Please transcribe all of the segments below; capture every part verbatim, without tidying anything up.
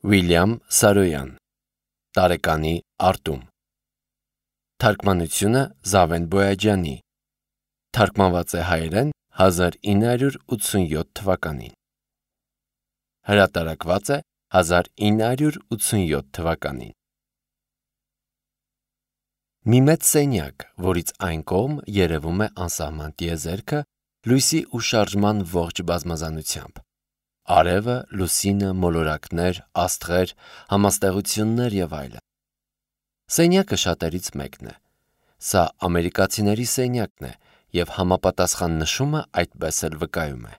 Վիլյամ Սարոյան Տարեկանի արտում Թարգմանությունը Զավեն Բոյաջյանի Թարգմանված է հայերեն հազար ինը հարյուր ութսունյոթ թվականին Հրատարակված է հազար ինը հարյուր ութսունյոթ թվականին Մի մեծ սենյակ, որից այն կողմ երևում է անսահման տիեզերքը լույսի ու շարժման ողջ բազմազանությամբ Արևը, լուսինը, մոլորակներ, աստղեր, համաստեղություններ և այլն Սենյակը շատերից մեկն է Սա ամերիկացիների սենյակն է և համապատասխան նշումը այդպես էլ վկայում է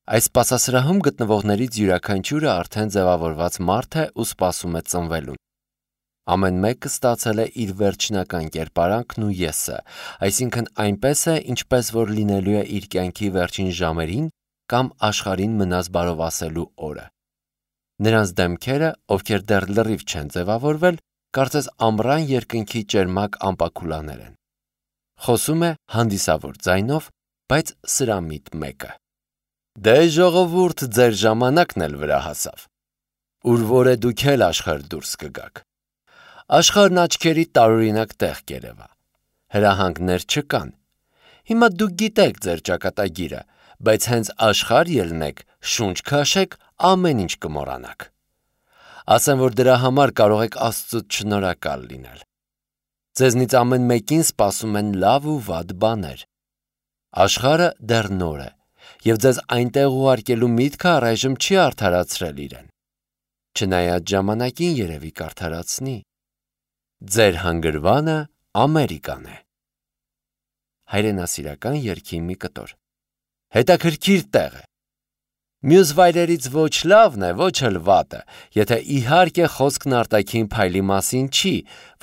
Այս սպասասրահում գտնվողներից յուրաքանչյուրը արդեն ձևավորված մարդ է ու սպասում է ծնվելուն Ամեն մեկը ստացել է իր վերջնական կերպարանքն ու եսը, այսինքն այնպես է, ինչպես որ լինելու է իր կյանքի վերջին ժամերին կամ աշխարհին մնաս բարով ասելու օրը։ Նրանց դեմքերը, ովքեր դեռ լրիվ չեն ձևավորվել, կարծես ամռան երկնքի ճերմակ ամպակուլաներ են։ Խոսում է հանդիսավոր ձայնով, բայց սրամիտ մեկը։ Դե ժողովուրդ, ձեր ժամանակն էլ վրա հասավ։ Ուր որ է դուք էլ աշխարհ դուրս կգաք։ Աշխարհն աչքերի տարօրինակ տեղ կերևա։ Հրահանգներ չկան։ Հիմա դուք գիտեք ձեր ճակատագիրը, բայց հենց աշխարհ ելնեք, շունչ քաշեք, ամեն ինչ կմոռանաք։ Ասեմ, որ դրա համար կարող եք Աստծուց շնորհակալ լինել։ Ձեզնից ամեն մեկին սպասում են լավ ու վատ բաներ։ Աշխարհը դեռ նոր է, և ձեզ այնտեղ ուղարկելու միտքը առայժմ չի արդարացրել իրեն։ Չնայած ժամանակին երևի կարդարացնի։ Ձեր հանգրվանը Ամերիկան է։ Հայրենասիրական երգի մի կտոր։ Հետաքրքիր տեղ է։ Մյուս վայրերից ոչ լավն է, ոչ էլ վատը, եթե իհարկե խոսքն արտաքին փայլի մասին չի,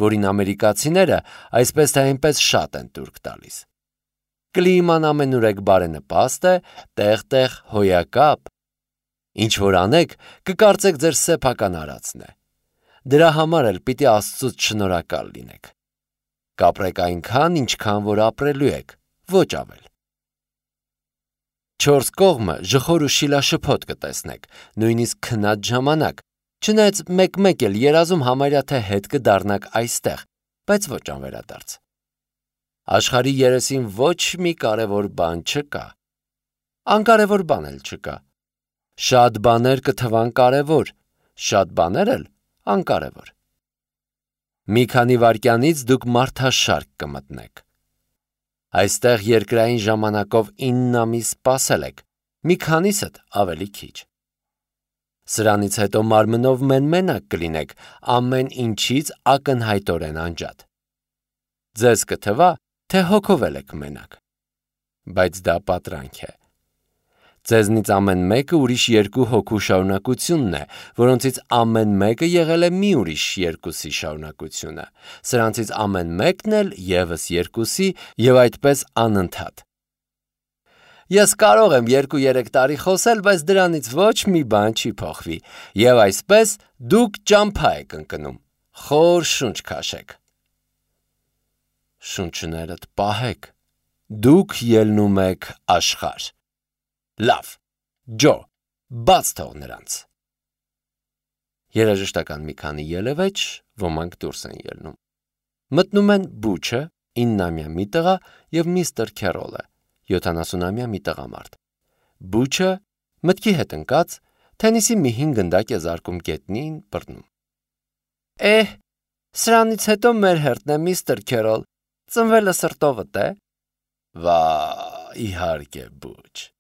որին ամերիկացիները այսպես թե այնպես շատ են տուրք տալիս։ Կլիման ամենուրեք բարենպաստ է, տեղ-տեղ հոյակապ։ Ինչ որ անեք, կկարծեք ձեր սեփական արածն է։ Դրա համար էլ պիտի Աստծուց շնորհակալ լինեք։ Կապրեք այնքան, ինչքան որ ապրելու եք, ոչ ավել։ Չորս կողմը ժխոր ու շիլաշփոթ կտեսնեք, նույնիսկ քնած ժամանակ, չնայած մեկ-մեկ էլ երազում համարյա թե հետ կդառնաք այստեղ, բայց ոչ անվերադարձ։ Աշխարհի երեսին ոչ մի կարևոր բան չկա։ Անկարևոր բան էլ չկա։ Շատ բաներ կթվան կարևոր, շատ բաներ էլ անկարևոր։ Մի քանի վայրկյանից դուք մարդաշարք կմտնեք։ Այստեղ երկրային ժամանակով ինը ամիս սպասել եք, մի քանիսդ ավելի քիչ։ Սրանից հետո մարմնով մեն-մենակ կլինեք, ամեն ինչից ակնհայտորեն անջատ։ Ձեզ կթվա, թե հոգով եք մենակ։ Բայց դա պատրանք է։ Ձեզնից ամեն մեկը ուրիշ երկու հոգու շարունակությունն է, որոնցից ամեն մեկը եղել է մի ուրիշ երկուսի շարունակությունը, սրանցից ամեն մեկն էլ ևս երկուսի և այդպես անընդհատ։ Ես կարող եմ երկու-երեք տարի խոսել, բայց դրանից ոչ մի բան չի փոխվի, և այսպես դուք ճամփա եք ընկնում, խոր շունչ քաշեք։ Շունչներդ պահեք, դուք ելնում եք աշխարհ։ Լավ, Ջո, բաց թող նրանց։ Երաժշտական մի քանի ելևէջ, ոմանք դուրս են ելնում։ Մտնում են Բուչը, իննամյա մի տղա և միստր Քերոլը, յոթանասունամյա մի տղամարդ։ Բուչը, մտքի հետ ընկած, թենիսի մի հին գնդակ է զարկում գետնին, բռնում։ Էհ, սրանից հետո մեր հերթն է, միստր Քերոլ, ծնվելը սրտովդ է։ Վա, իհարկե, Բուչ։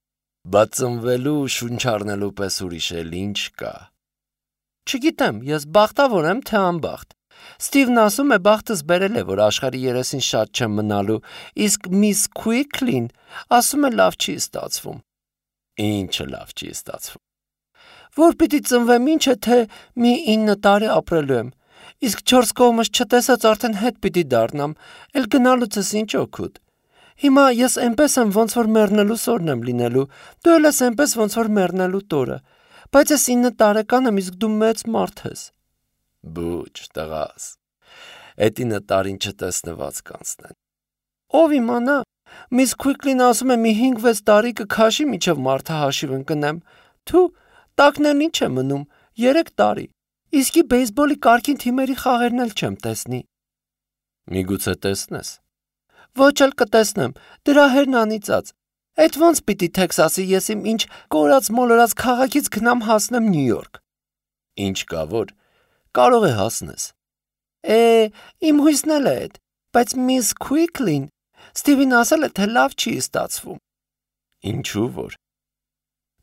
Բայց ծնվելու շունչ առնելու պես ուրիշ էլ ինչ կա։ Չգիտեմ, ես բախտավոր եմ, թե անբախտ։ Ստիվն ասում է բախտս բերել է, որ աշխարհի երեսին շատ չեմ մնալու, իսկ միս Քուիքլին ասում է լավ չի ստացվում։ Ինչը լավ չի ստացվում։ Որ պիտի ծնվեմ ինչ է, թե մի ինը տարի ապրելու եմ, իսկ չորս կողմս չտեսած արդեն հետ պիտի դառնամ, էլ գնալուցս ինչ օգուտ։ Հիմա ես այնպես եմ, ոնց որ մեռնելու սորն եմ լինելու, դու էլ ես այնպես, ոնց որ մեռնելու տորը, բայց ես ինը տարեկան եմ, իսկ դու մեծ մարդ ես։ Բուչ, տղաս, էդ ինը տարին չտեսնված կանցնեն։ Ով իմանա, միս Քուիքլին ասում է մի հինգ-վեց տարի կքաշի, մինչև մարդը հաշիվ ընկնեմ։ Թու, տակն էլ ինչ է մնում, երեք տարի, իսկի բեյսբոլի կարգին թիմերի խաղերն էլ չեմ տեսնի։ Միգուցե տեսնես։ Ոչ էլ կտեսնեմ, դրա հերն անիծած։ Էդ ոնց պիտի Թեքսասի ես իմ ինչ կորած մոլորած քաղաքից գնամ հասնեմ Նյու Յորք։ Ինչ կա որ, կարող է հասնես։ Է, իմ հույսն էլ է էդ, բայց միս Քուիկլին Ստիվին ասել է, թե լավ չի ստացվում։ Ինչու որ։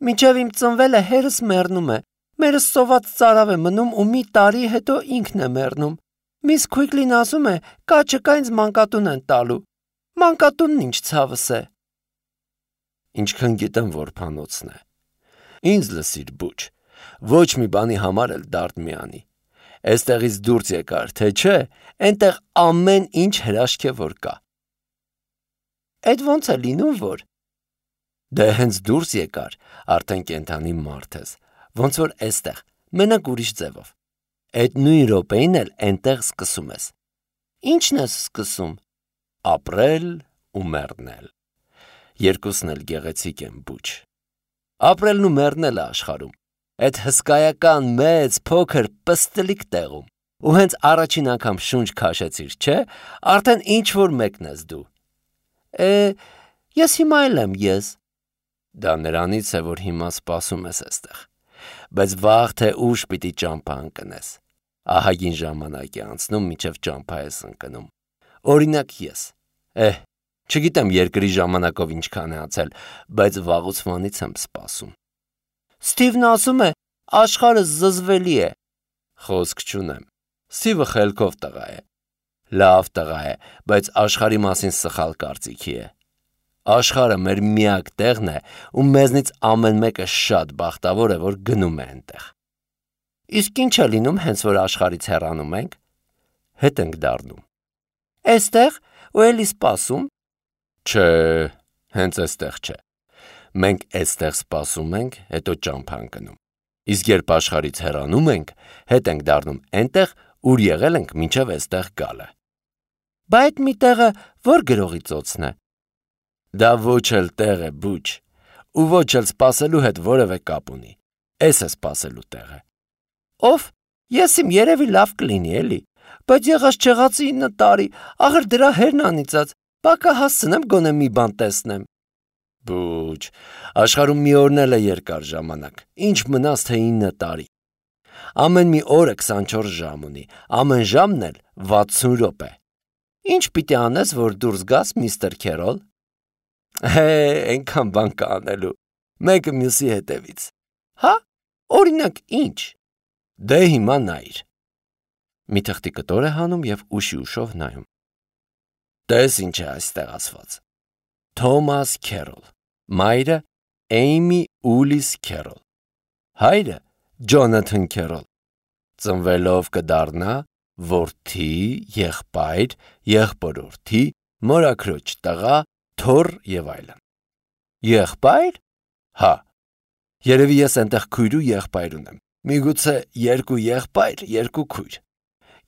Մինչև իմ ծնվելը հերս մեռնում է, մերս սոված ծարավ է մնում ու մի տարի հետո ինքն է մեռնում։ Միս Քուիկլին ասում է, կա չկա ինձ մանկատուն են տալու։ Մանկատունն ինչ ցավս է։ Ինչքան գիտեմ, որ փանոցն է։ Ինձ լսիր բուչ, ոչ մի բանի համար էլ դարդ մի անի։ Էստեղից դուրս եկար, թե չէ, այնտեղ ամեն ինչ հրաշք է որ կա։ Այդ ոնց է լինում որ։ Դե հենց դուրս եկար, արդեն կենթանի մարդ ես, ոնց որ էստեղ, մենակ ուրիշ ձևով։ Այդ նույն րոպեին էլ այնտեղ սկսում ես։ Ինչն ես սկսում։ Ապրել ու մեռնել։ Երկուսն էլ գեղեցիկ են բուչ։ Ապրելն ու մեռնելը աշխարհում։ Այդ հսկայական մեծ փոքր պստլիկ տեղում։ Ու հենց առաջին անգամ շունչ քաշեցիր, չէ՞, արդեն ինչ որ մեկն ես դու։ Է, ես հիմա էլ եմ ես։ Դա նրանից է, որ հիմա սպասում ես այստեղ։ Բայց վաղ թե ուշ պիտի ճամփա ընկնես։ Ահագին ժամանակ է անցնում, մինչև ճամփա ես ընկնում։ Օրինակ ես։ Էհ, չգիտեմ երկրի ժամանակով ինչքան է անցել, բայց վաղուց եմ սպասում։ Ստիվն ասում է, աշխարհը զզվելի է։ Խոսք չունեմ։ Ստիվը խելքով տղա է։ Լավ տղա է, բայց աշխարհի մասին սխալ կարծիքի է։ Աշխարհը մեր միակ տեղն է, ու մեզնից ամեն մեկը շատ բախտավոր է, որ գնում է այնտեղ։ Իսկ ինչ է լինում, հենց որ աշխարհից հեռանում ենք։ Հետ ենք դառնում։ Էստեղ ու էլի սպասում։ Չէ, հենց էստեղ չէ։ Մենք էստեղ սպասում ենք, հետո ճամփա ընկնում։ Իսկ երբ աշխարհից հեռանում ենք, հետ ենք դառնում այնտեղ, ուր եղել ենք մինչև էստեղ գալը։ Բա այդ մի տեղը որ գրողի ծոցն է։ Դա ոչ էլ տեղ է բուչ, ու ոչ էլ սպասելու հետ որևէ կապ ունի։ Էս է սպասելու տեղը։ Ով, ես իմ երևի լավ կլինի էլի, բայց եղած չեղածի ինը տարի, ախր դրա հերն անիծած, բակա հասցնեմ գոնե մի բան տեսնեմ։ Բուչ, աշխարհում մի օրն էլ է երկար ժամանակ, ինչ մնաց թե ինը տարի։ Ամեն մի օրը քսանչորս ժամ ունի, ամեն ժամն էլ վաթսուն րոպե։ Ինչ պիտի անես, որ դուրս գաս, միստր Քերոլ։ Հե, այնքան բան կա անելու, մեկը մյուսի հետևից։ Հա, օրինակ ինչ։ Դե հիմա նայիր։ Մի թղթի կտոր է հանում և ուշի ուշով նայում։ Տես ինչ է այստեղ ասված։ Թոմաս Քերոլ, մայրը Էյմի Ուլիս Քերոլ, հայրը Ջոնաթան Քերոլ, ծնվելով կդառնա որդի, եղբայր, եղբորորդի, մորաքրոջ տղա, թոռ և այլն։ Եղբայր։ Հա, երևի ես այնտեղ քույր ու եղբայր ունեմ, միգուցե երկու եղբայր, երկու քույր։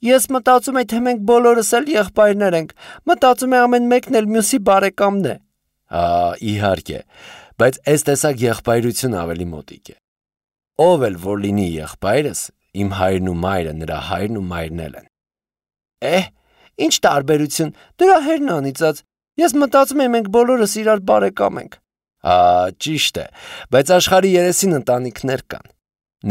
Ես մտածում եմ, թե մենք բոլորս էլ եղբայրներ ենք, մտածում եմ ամեն մեկն էլ մյուսի բարեկամն է։ Հա, իհարկե, բայց այս տեսակ եղբայրություն ավելի մոտիկ է։ Ով էլ որ լինի եղբայրս, իմ հայրն ու մայրը նրա հայրն ու մայրն էլ են։ Էհ, ինչ տարբերություն, դրա հերն անիծած, ես մտածում եմ մենք բոլորս իրար բարեկամ ենք։ Հա, ճիշտ է, բայց աշխարհի երեսին ընտանիքներ կան։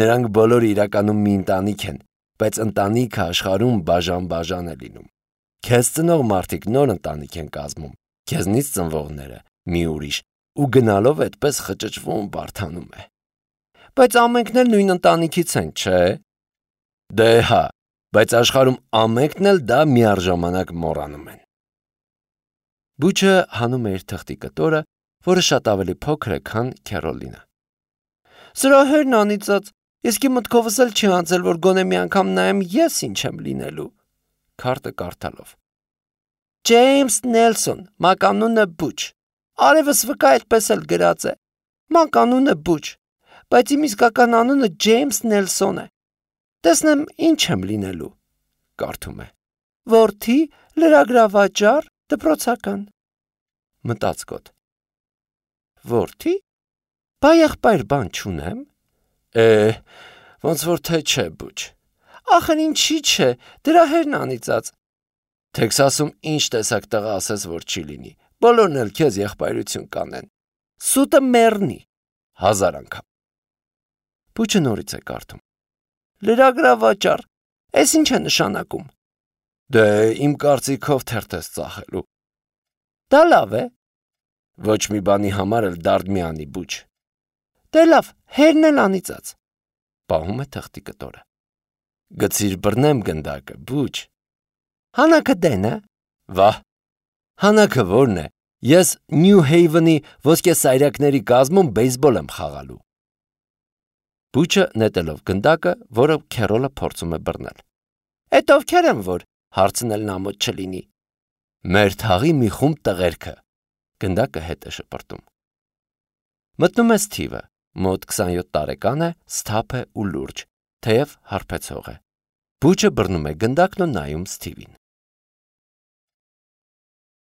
Նրանք բոլորը իրականում մի ընտանիք են, բայց ընտանիքը աշխարհում բաժան-բաժան է լինում։ Քեզ ծնող մարդիկ նոր ընտանիք են կազմում, քեզնից ծնվողները մի ուրիշ, ու գնալով այդպես խճճվում բարթանում է։ Բայց ամենքն էլ նույն ընտանիքից են, չէ՞։ Դե հա, բայց աշխարհում ամենքն էլ դա միառժամանակ մոռանում են։ Բուչը հանում է իր թղթի կտորը, որը շատ ավելի փոքր է, քան Քերոլինը։ Սրա հերն անիծած, իսկի մտքովս էլ չի անցել, որ գոնե մի անգամ նայեմ ես ինչ եմ լինելու։ Քարտը կարդալով։ Ջեյմս Նելսոն, մականունը Բուչ։ Արևս վկա այդպես էլ գրած է։ Մականունը Բուչ, բայց իմ իսկական անունը Ջեյմս Նելսոն է։ Տեսնեմ ինչ եմ լինելու։ Կարդում է։ Որդի, լրագրավաճառ, դպրոցական։ Մտածկոտ։ Որդի։ Բա եղբայր բան չունեմ։ Է, Ոնց որ թե չէ, Բուչ։ Ախր ինչի՞ չէ, դրա հերն անիծած։ Թեքս ասում ինչ տեսակ տղա ասես, որ չի լինի։ Բոլորն էլ քեզ եղբայրություն կանեն։ Սուտը մեռնի։ Հազար անգամ։ Բուչը նորից է կարդում։ Լրագրավաճառ, էս ինչ է նշանակում։ Դե իմ կարծիքով թերթ ես ծախելու։ Դա լավ է։ Ոչ մի բանի համար էլ դարդ մի անի, Բուչ։ Դե լավ, հերն էլ անիծած։ Պահում է թղթի կտորը։ Գցիր բռնեմ գնդակը, Բուչ։ Հանակը դեն է։ Վահ։ Հանակը որն է։ Ես Նյու Հեյվենի ոսկե սայրակների կազմում բեյսբոլ եմ խաղալու։ Բուչը նետելով գնդակը, որը Քերոլը փորձում է բռնել։ Էդ ովքեր են որ, հարցնել նա մոտ չլինի։ Մեր թաղի մի խումբ տղերքը։ Գնդակը հետ է շպրտում։ Մտնում է Սթիվը, մոտ քսանյոթ տարեկան է, սթափ է ու լուրջ, թեև հարբեցող է։ Բուչը բռնում է գնդակն ու նայում Սթիվին։